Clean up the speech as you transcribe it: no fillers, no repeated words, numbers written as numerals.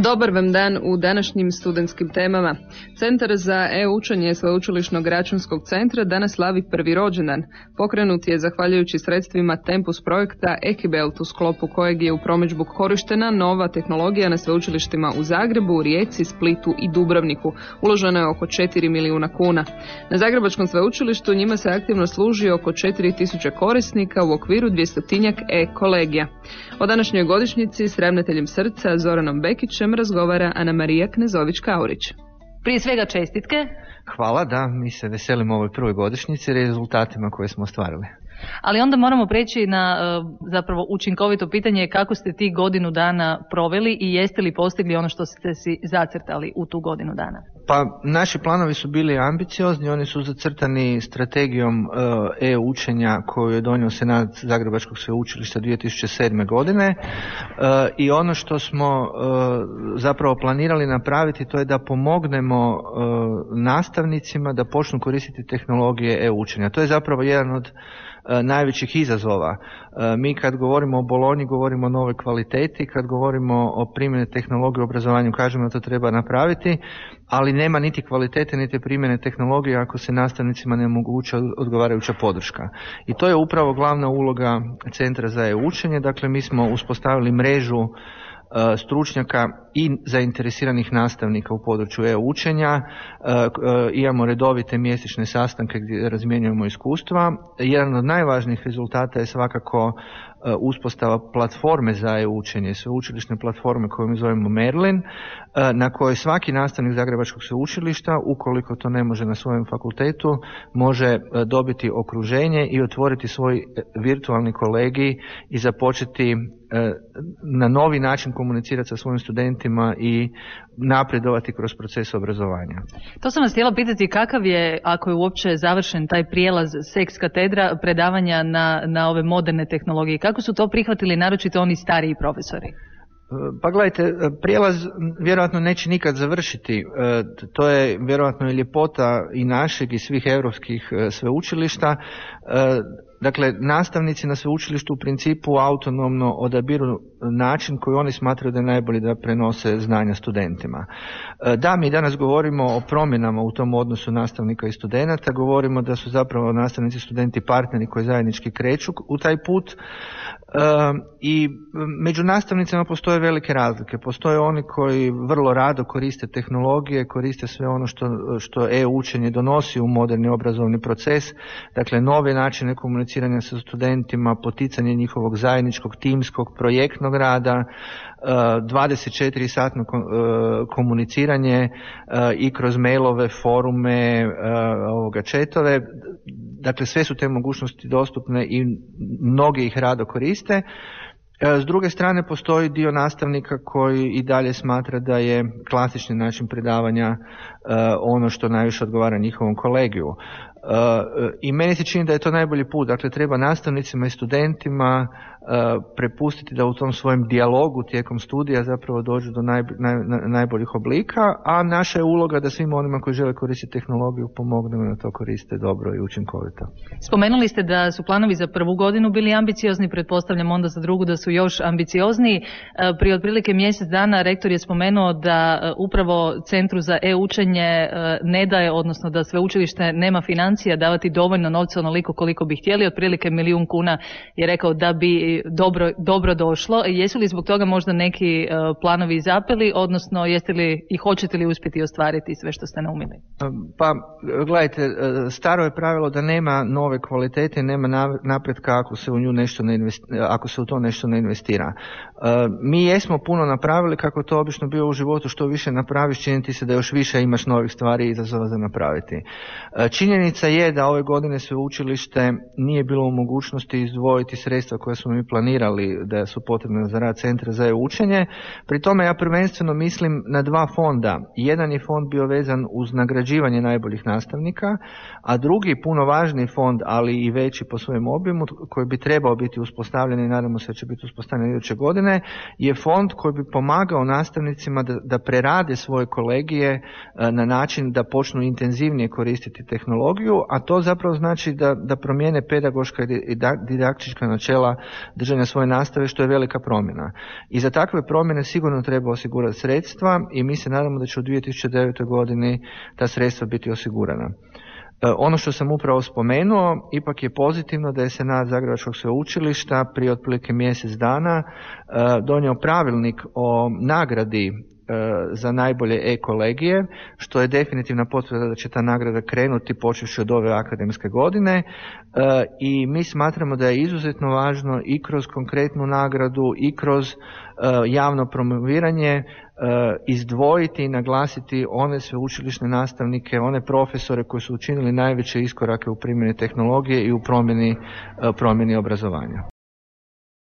Dobar vam dan u današnjim studentskim temama. Centar za e-učenje Sveučilišnog računskog centra danas slavi prvi rođendan. Pokrenut je zahvaljujući sredstvima Tempus projekta Ekibelt, u sklopu kojeg je u promidžbu korištena nova tehnologija na sveučilištima u Zagrebu, Rijeci, Splitu i Dubrovniku. Uloženo je oko 4 milijuna kuna. Na Zagrebačkom sveučilištu njima se aktivno služi oko 4000 korisnika u okviru 200-tinjak e-kolegija. O današnjoj godišnjici s ravnateljem Srca Zoranom Bekićem razgovara Ana Marija Knezović-Kaurić. Prije svega čestitke. Hvala, da, mi se veselimo ovoj prvoj godišnjici i rezultatima koje smo ostvarili. Ali onda moramo preći na zapravo učinkovito pitanje kako ste ti godinu dana proveli i jeste li postigli ono što ste si zacrtali u tu godinu dana? Pa naši planovi su bili ambiciozni, oni su zacrtani strategijom e-učenja koju je donio Senat Zagrebačkog sveučilišta 2007. godine i ono što smo zapravo planirali napraviti to je da pomognemo nastavnicima da počnu koristiti tehnologije e-učenja. To je zapravo jedan od najvećih izazova. Mi kad govorimo o Bolonji govorimo o novoj kvaliteti, kad govorimo o primjeni tehnologije u obrazovanju kažemo da to treba napraviti, ali nema niti kvalitete niti primjene tehnologije ako se nastavnicima ne omogući odgovarajuća podrška. I to je upravo glavna uloga Centra za e-učenje. Dakle, mi smo uspostavili mrežu stručnjaka i zainteresiranih nastavnika u području e-učenja. Imamo redovite mjesečne sastanke gdje razmjenjujemo iskustva. Jedan od najvažnijih rezultata je svakako uspostava platforme za e-učenje, sveučilišne platforme koju mi zovemo Merlin, na kojoj svaki nastavnik Zagrebačkog sveučilišta, ukoliko to ne može na svojem fakultetu, može dobiti okruženje i otvoriti svoj virtualni kolegij i započeti na novi način komunicirati sa svojim studentima i napredovati kroz proces obrazovanja. To sam vas htjela pitati, kakav je, ako je uopće završen taj prijelaz s ex katedra predavanja na ove moderne tehnologije, kako su to prihvatili naročito oni stariji profesori? Pa gledajte, prijelaz vjerojatno neće nikad završiti. To je vjerojatno i ljepota i našeg i svih europskih sveučilišta. Dakle, nastavnici na sveučilištu u principu autonomno odabiru način koji oni smatraju da je najbolji da prenose znanja studentima. Da, mi danas govorimo o promjenama u tom odnosu nastavnika i studenata, govorimo da su zapravo nastavnici i studenti partneri koji zajednički kreću u taj put i među nastavnicima postoje velike razlike. Postoje oni koji vrlo rado koriste tehnologije, koriste sve ono što e-učenje donosi u moderni obrazovni proces, dakle nove načine komuniciranja sa studentima, poticanje njihovog zajedničkog timskog projektnog rada, 24-satno komuniciranje i kroz mailove, forume, chatove. Dakle, sve su te mogućnosti dostupne i mnogi ih rado koriste. S druge strane, postoji dio nastavnika koji i dalje smatra da je klasični način predavanja ono što najviše odgovara njihovom kolegiju. I meni se čini da je to najbolji put. Dakle, treba nastavnicima i studentima prepustiti da u tom svojem dijalogu tijekom studija zapravo dođu do najboljih oblika, a naša je uloga da svim onima koji žele koristiti tehnologiju pomognemo da to koriste dobro i učinkovito. Spomenuli ste da su planovi za prvu godinu bili ambiciozni, pretpostavljam onda za drugu da su još ambiciozniji. Prije otprilike mjesec dana rektor je spomenuo da upravo Centru za e-učenje ne daje, odnosno da sveučilište nema financija davati dovoljno novca onoliko koliko bi htjeli, otprilike 1 milijun kuna je rekao da bi dobro došlo. Jesu li zbog toga možda neki planovi zapeli, odnosno jeste li i hoćete li uspjeti ostvariti sve što ste naumili? Pa gledajte, staro je pravilo da nema nove kvalitete, nema napretka ako se u nju nešto ako se u to nešto ne investira. Mi jesmo puno napravili, kako to obično bio u životu, što više napraviš, čini ti se da još više imaš novih stvari i izazova za napraviti. Činjenica je da ove godine sveučilište nije bilo u mogućnosti izdvojiti sredstva koja smo mi planirali da su potrebne za rad Centra za e-učenje. Pri tome ja prvenstveno mislim na dva fonda. Jedan je fond bio vezan uz nagrađivanje najboljih nastavnika, a drugi, puno važniji fond, ali i veći po svojem obimu, koji bi trebao biti uspostavljen i nadamo se da će biti uspostavljen iduće godine, godine je fond koji bi pomagao nastavnicima da prerade svoje kolegije na način da počnu intenzivnije koristiti tehnologiju, a to zapravo znači da promijene pedagoška i didaktička načela držanja svoje nastave, što je velika promjena. I za takve promjene sigurno treba osigurati sredstva i mi se nadamo da će u 2009. godini ta sredstva biti osigurana. Ono što sam upravo spomenuo, ipak je pozitivno da je Senat Zagrebačkog sveučilišta prije otprilike mjesec dana donio pravilnik o nagradi za najbolje e-kolegije, što je definitivna potvrda da će ta nagrada krenuti počevši od ove akademske godine i mi smatramo da je izuzetno važno i kroz konkretnu nagradu i kroz javno promoviranje izdvojiti i naglasiti one sveučilišne nastavnike, one profesore koji su učinili najveće iskorake u primjeni tehnologije i u promjeni obrazovanja.